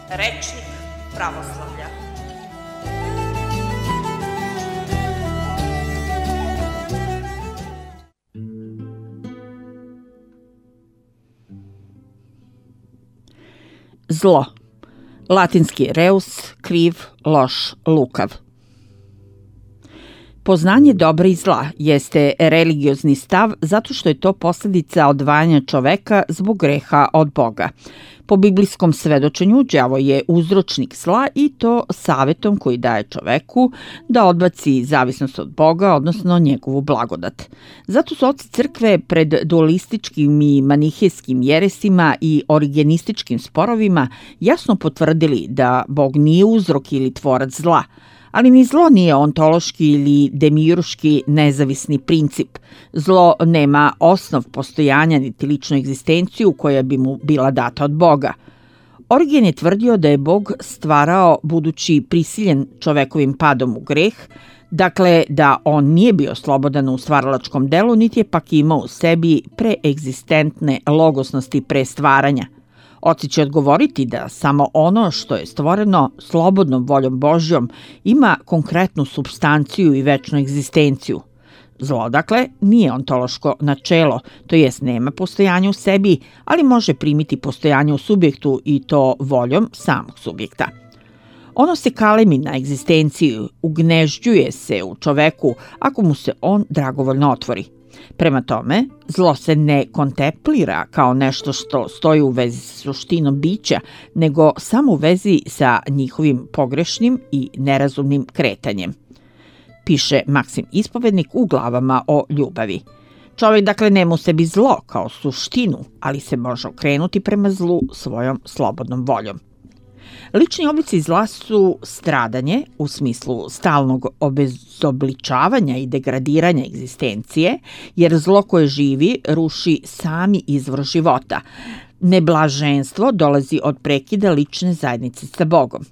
Rečnik pravoslavlja. Zlo. Latinski reus, kriv, loš, lukav. Poznanje dobra i zla jeste religiozni stav zato što je to posljedica odvajanja čoveka zbog greha od Boga. Po biblijskom svedočenju, đavo je uzročnik zla i to savetom koji daje čoveku da odbaci zavisnost od Boga, odnosno njegovu blagodat. Zato su oci crkve pred dualističkim i manihejskim jeresima i origenističkim sporovima jasno potvrdili da Bog nije uzrok ili tvorac zla, ali ni zlo nije ontološki ili demiurški nezavisni princip. Zlo nema osnov postojanja niti ličnu egzistenciju koja bi mu bila data od Boga. Origen je tvrdio da je Bog stvarao budući prisiljen čovekovim padom u greh, dakle da on nije bio slobodan u stvaralačkom delu, niti je pak imao u sebi preegzistentne logosnosti pre stvaranja. Oci će odgovoriti da samo ono što je stvoreno slobodnom voljom Božjom ima konkretnu supstanciju i večnu egzistenciju. Zlo, dakle, nije ontološko načelo, to jest nema postojanja u sebi, ali može primiti postojanje u subjektu i to voljom samog subjekta. Ono se kalemi na egzistenciju, ugnežđuje se u čoveku ako mu se on dragovoljno otvori. Prema tome, zlo se ne kontemplira kao nešto što stoji u vezi sa suštinom bića, nego samo u vezi sa njihovim pogrešnim i nerazumnim kretanjem. Piše Maksim Ispovednik u glavama o ljubavi. Čovjek dakle nema u sebi zlo kao suštinu, ali se može okrenuti prema zlu svojom slobodnom voljom. Lični oblici zla su stradanje u smislu stalnog obezobličavanja i degradiranja egzistencije, jer zlo koje živi ruši sami izvor života. Neblaženstvo dolazi od prekida lične zajednice sa Bogom.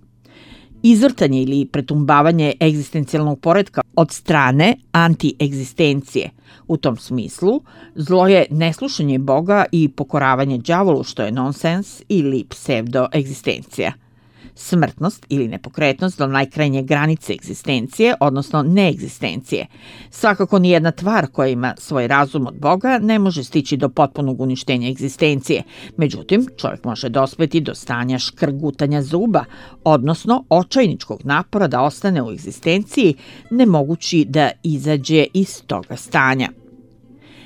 Izvrtanje ili pretumbavanje egzistencijalnog poretka od strane antiegzistencije. U tom smislu, zlo je neslušanje Boga i pokoravanje đavolu, što je nonsens ili pseudoegzistencija. Smrtnost ili nepokretnost do najkrajnje granice egzistencije, odnosno neegzistencije. Svakako nijedna tvar koja ima svoj razum od Boga ne može stići do potpunog uništenja egzistencije. Međutim, čovjek može dospeti do stanja škrgutanja zuba, odnosno očajničkog napora da ostane u egzistenciji, ne mogući da izađe iz toga stanja.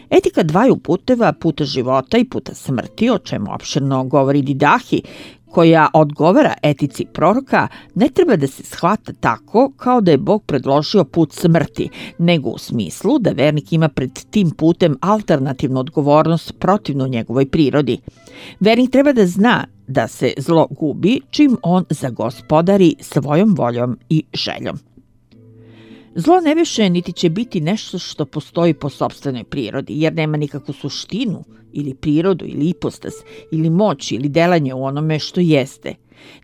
Etika dvaju puteva, puta života i puta smrti, o čemu opširno govori Didahi, koja odgovara etici proroka, ne treba da se shvata tako kao da je Bog predložio put smrti, nego u smislu da vernik ima pred tim putem alternativnu odgovornost protivnu njegovoj prirodi. Vernik treba da zna da se zlo gubi čim on zagospodari svojom voljom i željom. Zlo ne više niti će biti nešto što postoji po sopstvenoj prirodi, jer nema nikakvu suštinu ili prirodu ili ipostas ili moć ili delanje u onome što jeste.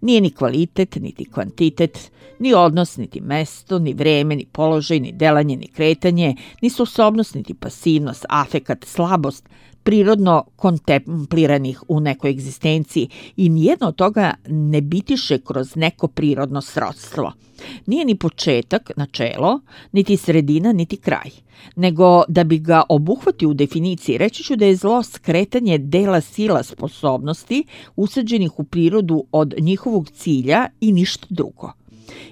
Nije ni kvalitet, niti kvantitet, ni odnos, niti mesto, ni vreme, ni položaj, ni delanje, ni kretanje, ni sposobnost, niti pasivnost, afekat, slabost, prirodno kontempliranih u nekoj egzistenciji i nijedno od toga ne bitiše kroz neko prirodno srodstvo. Nije ni početak, načelo, niti sredina, niti kraj, nego da bi ga obuhvatio u definiciji, reći ću da je zlo skretanje dela sila sposobnosti usađenih u prirodu od njihovog cilja i ništa drugo.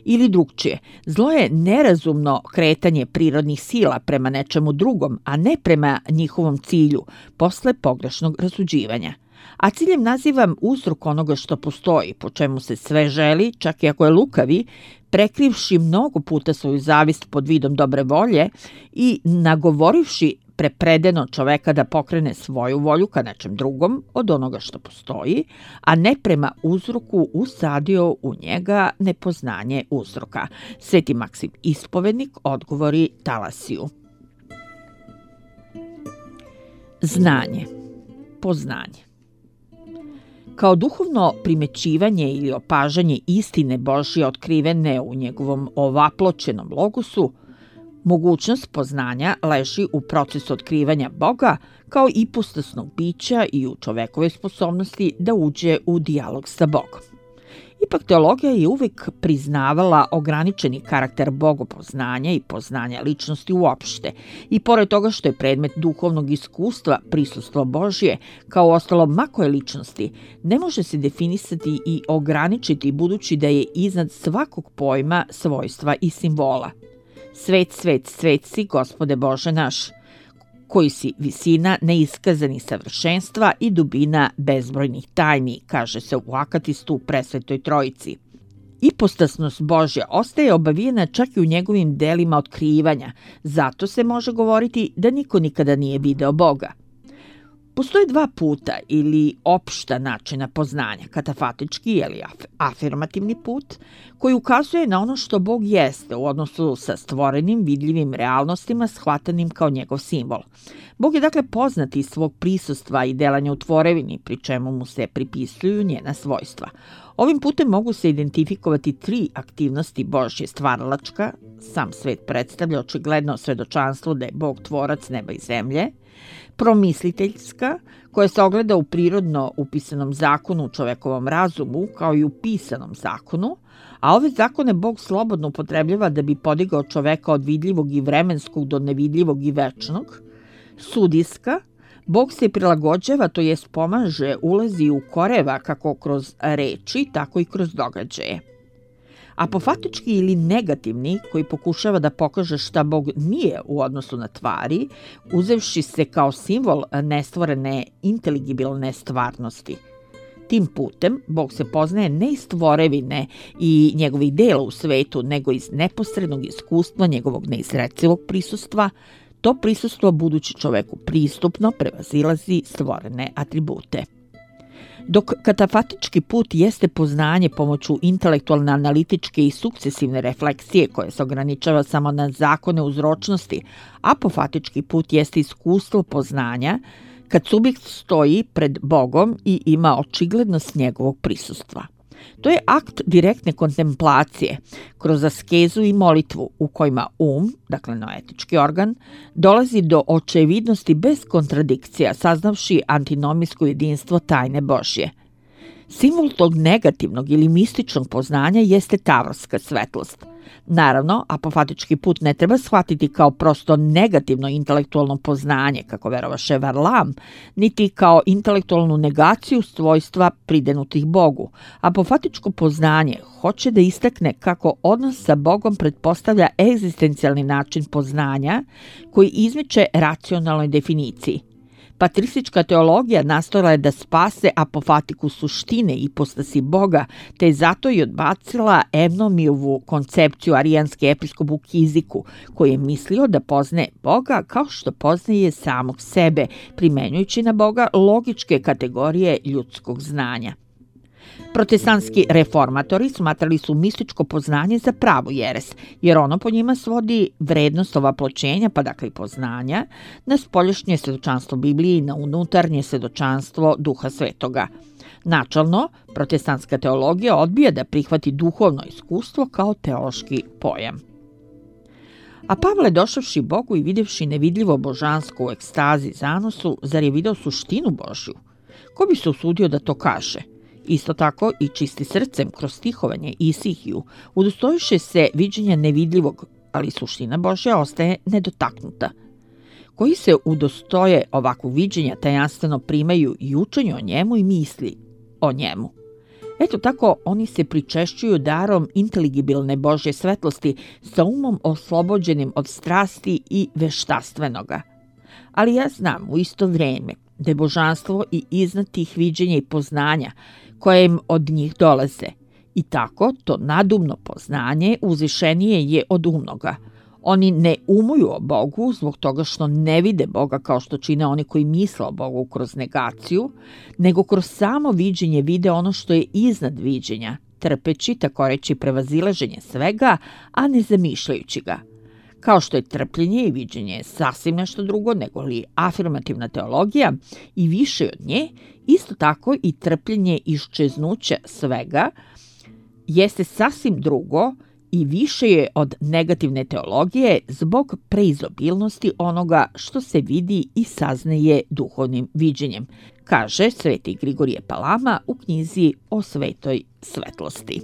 Ili drugčije, zlo je nerazumno kretanje prirodnih sila prema nečemu drugom, a ne prema njihovom cilju, posle pogrešnog rasuđivanja. A ciljem nazivam uzrok onoga što postoji, po čemu se sve želi, čak i ako je lukavi, prekrivši mnogo puta svoju zavist pod vidom dobre volje i nagovorivši prepredeno čoveka da pokrene svoju volju ka nečem drugom od onoga što postoji, a ne prema uzroku usadio u njega nepoznanje uzroka. Sveti Maksim Ispovednik odgovori Talasiju. Znanje, poznanje. Kao duhovno primećivanje ili opažanje istine Božje otkrivene u njegovom ovaploćenom logosu, mogućnost poznanja leži u procesu otkrivanja Boga kao ipostasnog bića i u čovekovoj sposobnosti da uđe u dijalog sa Bogom. Ipak teologija je uvek priznavala ograničeni karakter bogopoznanja i poznanja ličnosti uopšte. I pored toga što je predmet duhovnog iskustva prisustvo Božje, kao ostalo makoje ličnosti, ne može se definisati i ograničiti budući da je iznad svakog pojma, svojstva i simbola. Svet, svet, svet si, Gospode Bože naš, koji si visina neiskazanih savršenstva i dubina bezbrojnih tajni, kaže se u Akatistu Presvetoj Trojici. Ipostasnost Božja ostaje obavijena čak i u njegovim delima otkrivanja, zato se može govoriti da niko nikada nije video Boga. Postoje dva puta ili opšta načina poznanja, katafatički ili afirmativni put, koji ukazuje na ono što Bog jeste u odnosu sa stvorenim vidljivim realnostima shvatanim kao njegov simbol. Bog je dakle poznat iz svog prisustva i delanja u tvorevini, pri čemu mu se pripisuju njena svojstva. Ovim putem mogu se identifikovati tri aktivnosti Božje: stvaralačka, sam svet predstavlja očigledno svedočanstvo da je Bog tvorac neba i zemlje; promisliteljska, koja se ogleda u prirodno upisanom zakonu u čovekovom razumu, kao i u pisanom zakonu, a ove zakone Bog slobodno upotrebljava da bi podigao čoveka od vidljivog i vremenskog do nevidljivog i večnog; sudijska, Bog se prilagođava, to jest pomaže, ulazi u koreva kako kroz reči, tako i kroz događaje. Apofatički ili negativni, koji pokušava da pokaže šta Bog nije u odnosu na tvari, uzevši se kao simbol nestvorene inteligibilne stvarnosti. Tim putem Bog se poznaje ne iz tvorevine i njegovih dela u svetu, nego iz neposrednog iskustva njegovog neizrecivog prisustva. To prisustvo budući čoveku pristupno prevazilazi stvorene atribute. Dok katafatički put jeste poznanje pomoću intelektualne, analitičke i sukcesivne refleksije koje se ograničava samo na zakone uzročnosti, apofatički put jeste iskustvo poznanja kad subjekt stoji pred Bogom i ima očiglednost njegovog prisustva. To je akt direktne kontemplacije kroz askezu i molitvu u kojima dakle noetički organ, dolazi do očevidnosti bez kontradikcija, saznavši antinomijsko jedinstvo tajne Božje. Simbol tog negativnog ili mističnog poznanja jeste tavorska svetlost. Naravno, apofatički put ne treba shvatiti kao prosto negativno intelektualno poznanje, kako verovaše Varlam, niti kao intelektualnu negaciju svojstva pridenutih Bogu. Apofatičko poznanje hoće da istakne kako odnos sa Bogom pretpostavlja egzistencijalni način poznanja koji izmiče racionalnoj definiciji. Patristička teologija nastojala je da spase apofatiku suštine i ipostasi Boga, te je zato i odbacila Evnomijovu koncepciju arijanske episkop u Kiziku, koji je mislio da poznaje Boga kao što poznaje samog sebe, primenjujući na Boga logičke kategorije ljudskog znanja. Protestantski reformatori smatrali su mističko poznanje za pravu jeres, jer ono po njima svodi vrednost ovaploćenja, pa dakle i poznanja, na spoljašnje svedočanstvo Biblije i na unutarnje svedočanstvo Duha Svetoga. Načalno, protestantska teologija odbija da prihvati duhovno iskustvo kao teološki pojam. A Pavle, došavši Bogu i vidjevši nevidljivo božansko u ekstazi zanosu, zar je video suštinu Božju? Ko bi se usudio da to kaže? Isto tako i čisti srcem kroz stihovanje Isihiju udostojiše se viđenja nevidljivog, ali suština Božja ostaje nedotaknuta. Koji se udostoje ovakvog viđenja tajanstveno primaju i učenju o njemu i misli o njemu. Eto tako oni se pričešćuju darom inteligibilne Božje svetlosti sa umom oslobođenim od strasti i veštastvenoga. Ali ja znam u isto vrijeme da je božanstvo i iznad tih viđenja i poznanja koje im od njih dolaze. I tako to nadumno poznanje uzvišenije je od umnoga. Oni ne umuju o Bogu zbog toga što ne vide Boga kao što čine oni koji misle o Bogu kroz negaciju, nego kroz samo viđenje vide ono što je iznad viđenja, trpeći, tako reći prevazilaženje svega, a ne zamišljajući ga. Kao što je trpljenje i viđenje sasvim nešto drugo nego li afirmativna teologija i više od nje, isto tako i trpljenje iščeznuća svega jeste sasvim drugo i više je od negativne teologije zbog preizobilnosti onoga što se vidi i saznaje duhovnim viđenjem, kaže sveti Grigorije Palama u knjizi o svetoj svetlosti.